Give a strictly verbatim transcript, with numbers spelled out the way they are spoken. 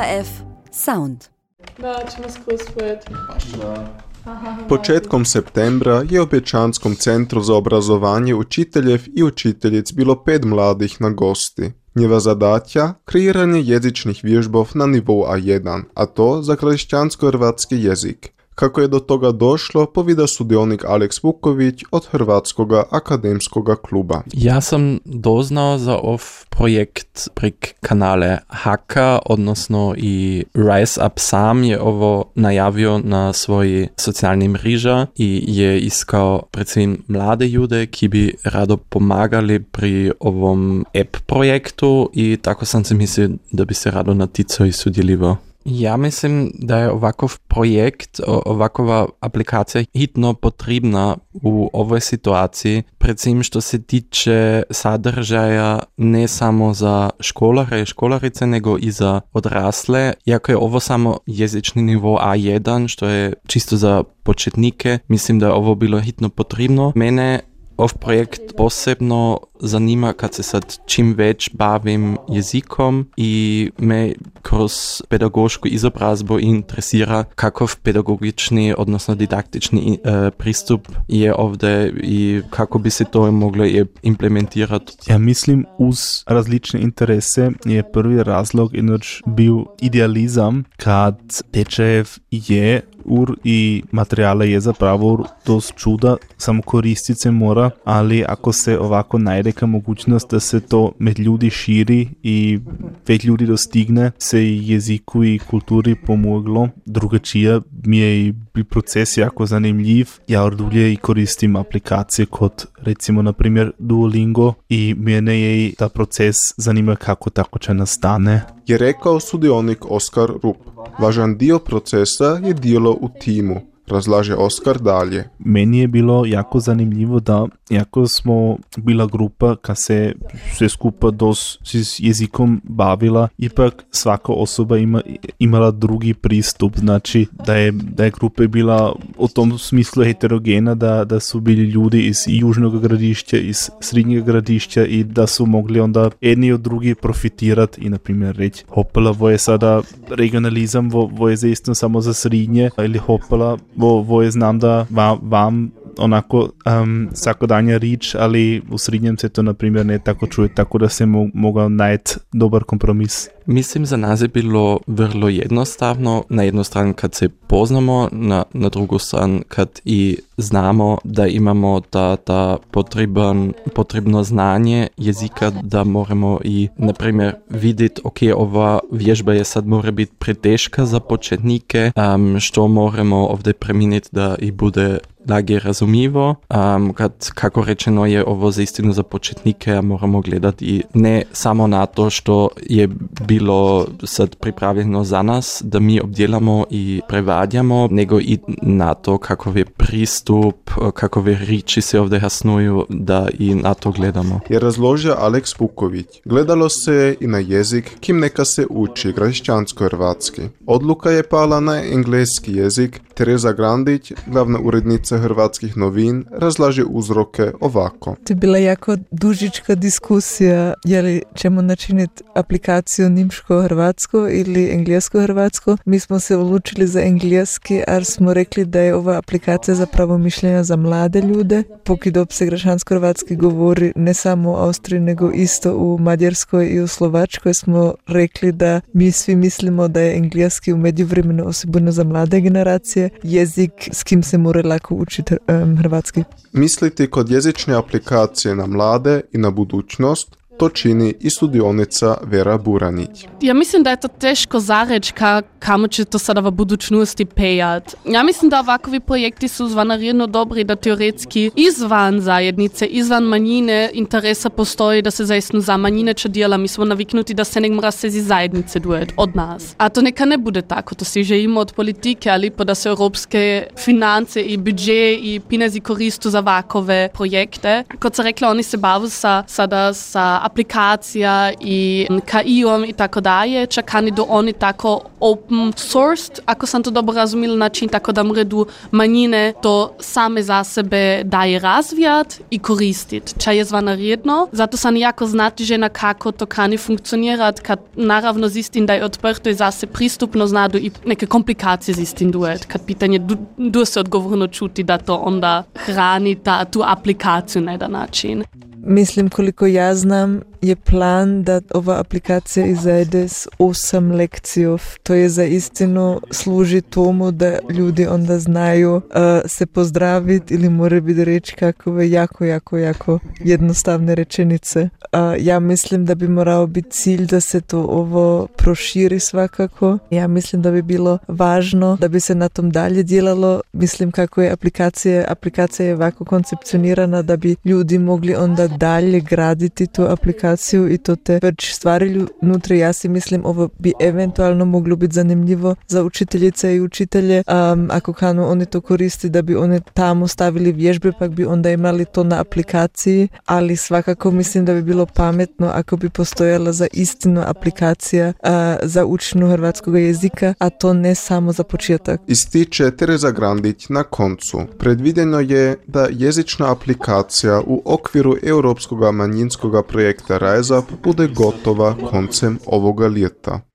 F Sound. Da, ćemo skroz pojeti. Početkom septembra je u Bečanskom centru za obrazovanje učiteljev i učiteljic bilo pet mladih na gosti. Njeva zadatja kreiranje jezičnih vježbov na nivou A jedan, a to za kršćansko-hrvatski jezik. Kako je do toga došlo, povida sudionik Aleks Vuković od Hrvatskoga akademskoga kluba. Ja sam doznao za ov projekt prek kanale Haka, odnosno i Rise Up sam je ovo najavio na svoji socijalni mreža i je iskao predvsem mlade ljude, ki bi rado pomagali pri ovom app projektu i tako sam se mislio da bi se rado naticao i sudjeljivao. Ja mislim da je ovakav projekt, ovakova aplikacija hitno potrebna u ovoj situaciji, predvsem što se tiče sadržaja ne samo za školare i školarice, nego i za odrasle. Iako je ovo samo jezični nivo A jedan, što je čisto za početnike, mislim da je ovo bilo hitno potrebno. Mene ov projekt posebno zanima kad se sad čim več bavim jezikom i me kroz pedagošku izobrazbu interesira kakav pedagogični, odnosno didaktični e, pristup je ovdje i kako bi se to moglo implementirati. Ja mislim, uz različne interese je prvi razlog inoč bil idealizam, kad tečajev je ur i materijale je zapravo dost čuda, samo koristit se mora, ali ako se ovako najde ka mogućnost da se to med ljudi širi i več ljudi dostigne, se jeziku i kulturi pomoglo. Drugačija mi je i proces jako zanimljiv. Ja ordulje i koristim aplikacije kot recimo na primjer Duolingo i mene je i ta proces zanima kako tako će nastane. Je rekao sudionik Oskar Rup. Važan dio procesa je djelo u timu. Razlaže Oskar dalje. Meni je bilo jako zanimljivo da, jako smo bila grupa ka se sve skupa dos s jezikom bavila, ipak svaka osoba ima, imala drugi pristup, znači da je, da je grupa bila u tom smislu heterogena, da, da su bili ljudi iz južnog gradišća, iz srednjeg gradišća i da su mogli onda jedni od drugi profitirati i na primjer reći hopala, vo je sada regionalizam, vo, vo je zaistno samo za srednje ili hopala, Vo, vo je znam da vam, vam onako um, svakodanja rič, ali u srednjem se to na primjer ne tako čuje, tako da se mo- mogao najti dobar kompromis. Mislim, za nas je bilo vrlo jednostavno, na jednu stranu kad se poznamo, na, na drugu stranu kad i znamo da imamo ta, ta potreban, potrebno znanje jezika, da moramo i na primjer vidjeti, ok, ova vježba je sad mora biti preteška za početnike, um, što moramo ovdje preminiti da i bude lage razumivo. Um, kad, kako rečeno je ovo za istinu za početnike, a moramo gledati i ne samo na to što je bilo sad pripravljeno za nas, da mi obdjelamo i prevadjamo, nego i na to kakav je pristup, kakove riči se ovdje jasnuju, da i na to gledamo. Je razložio Aleks Vuković. Gledalo se i na jezik, kim neka se uči kršćansko-hrvatski. Odluka je pala na engleski jezik. Tereza Grandić, glavna urednica Hrvatskih novin, razlaže uzroke ovako. To je bila jako dužička diskusija, je li ćemo načiniti aplikaciju nimško-hrvatsko ili englesko-hrvatsko. Mi smo se odlučili za engleski, jer smo rekli da je ova aplikacija zapravo mišljenja za mlade ljude. Pokidop se kršćansko-hrvatski govori ne samo u Austriji, nego isto u Mađarskoj i u Slovačkoj, smo rekli da mi svi mislimo da je engleski u međuvremenu osobno za mlade generacije jezik s kim se mora lako učiti um, hrvatski. Misliti kod jezične aplikacije na mlade i na budućnost, to čini i studionica Vera Buranić. Ja mislim da je to teško zareći ka, kamo će to sada v budućnosti pejat. Ja mislim da ovakvi projekti su zvanarjedno dobri, da teoretski izvan zajednice, izvan manjine interesa postoji da se zaistno za manjine će dijela. Mi smo naviknuti da se nek mora se zi zajednice dujet od nas. A to neka ne bude tako, to si želimo od politike, ali pa da se europske finance i budžet i pinezi koristu za ovakove projekte. Kot se rekla, oni se bavu sa, sada sa aplikacija i K I-om i tako daje, čakani do oni tako open sourced, ako sam to dobro razumila, način tako da mredu manjine to same za sebe daje razvijat i koristit, ča je zvanarijedno. Zato sam jako znatižena kako to kani funkcionirat, kad naravno zistim da je odprto i zase pristupno znadu i neke komplikacije zistim duet, kad pitanje du, du se odgovorno čuti da to onda hrani ta, tu aplikaciju na jedan način. Mislim, koliko ja znam, je plan da ova aplikacija izajde s osam lekcijov. To je za istinu služi tomu da ljudi onda znaju uh, se pozdraviti ili more biti reći kakove jako, jako, jako jednostavne rečenice. Uh, ja mislim da bi morao biti cilj da se to ovo proširi svakako. Ja mislim da bi bilo važno da bi se na tom dalje djelalo. Mislim kako je aplikacija, aplikacija je ovako koncepcionirana da bi ljudi mogli onda dalje graditi tu aplikaciju i to te već stvari unutra. Ja si mislim ovo bi eventualno moglo biti zanimljivo za učiteljice i učitelje um, ako kanu oni to koristi da bi oni tamo stavili vježbe pa bi onda imali to na aplikaciji, ali svakako mislim da bi bilo pametno ako bi postojala za istinu aplikacija uh, za učenju hrvatskog jezika, a to ne samo za početak. Ističe Tereza Grandić na koncu. Predvideno je da jezična aplikacija u okviru europskog manjinskog projekta Rise Up bude gotova koncem ovoga ljeta.